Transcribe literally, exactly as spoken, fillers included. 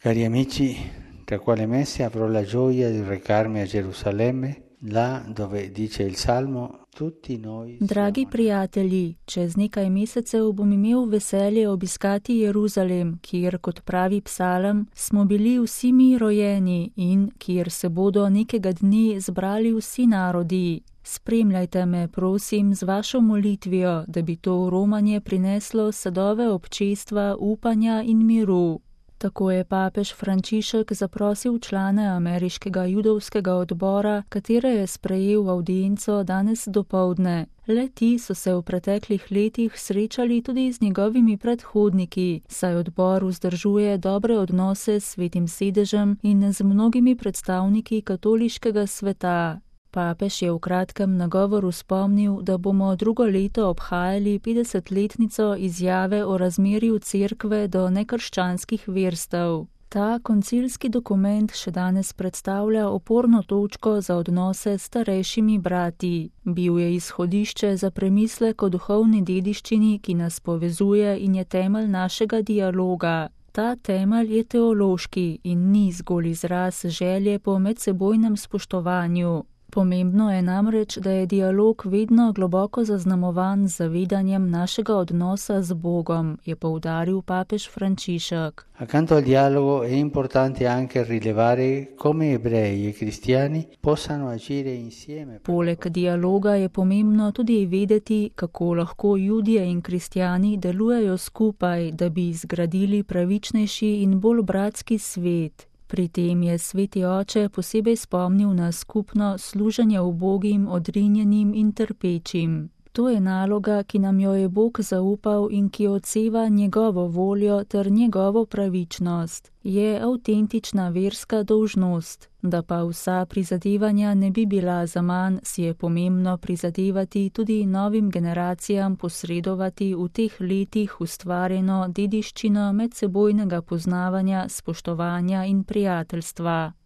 Cari amici, tra quale mese avrò la gioia di recarmi a Gerusalemme, là dove dice il Salmo, tutti noi Dragi siamo... prijatelji, čez nekaj mesecev bom imel veselje obiskati Jeruzalem, kjer, kot pravi psalem, smo bili vsi mi rojeni in kjer se bodo nekega dne zbrali vsi narodi. Spremljajte me, prosim, z vašo molitvijo, da bi to romanje prineslo sadove občestva, upanja in miru. Tako je papež Frančišek zaprosil člane ameriškega judovskega odbora, katere je sprejel v avdienco danes dopoldne. Le ti so se v preteklih letih srečali tudi z njegovimi predhodniki, saj odbor vzdržuje dobre odnose s Svetim sedežem in z mnogimi predstavniki katoliškega sveta. Papež je v kratkem nagovoru spomnil, da bomo drugo leto obhajali petdesetletnico izjave o razmerju cerkve do nekrščanskih verstev. Ta koncilski dokument še danes predstavlja oporno točko za odnose s starejšimi brati. Bil je izhodišče za premislek o duhovni dediščini, ki nas povezuje in je temelj našega dialoga. Ta temelj je teološki in ni zgolj izraz želje po medsebojnem spoštovanju. Pomembno je namreč, da je dialog vedno globoko zaznamovan z zavedanjem našega odnosa z Bogom, je poudaril papež Frančišek. Accanto al dialogo è importante anche rilevare come ebrei e cristiani possano agire insieme. Poleg dialoga je pomembno tudi vedeti, kako lahko Judje in kristjani delujejo skupaj, da bi zgradili pravičnejši in bolj bratski svet. Pri tem je Sveti oče posebej spomnil na skupno služenje ubogim, odrinjenim in trpečim. To je naloga, ki nam jo je Bog zaupal in ki odseva njegovo voljo ter njegovo pravičnost. Je avtentična verska dolžnost. Da pa vsa prizadevanja ne bi bila zaman, si je pomembno prizadevati tudi novim generacijam posredovati v teh letih ustvarjeno dediščino medsebojnega poznavanja, spoštovanja in prijateljstva.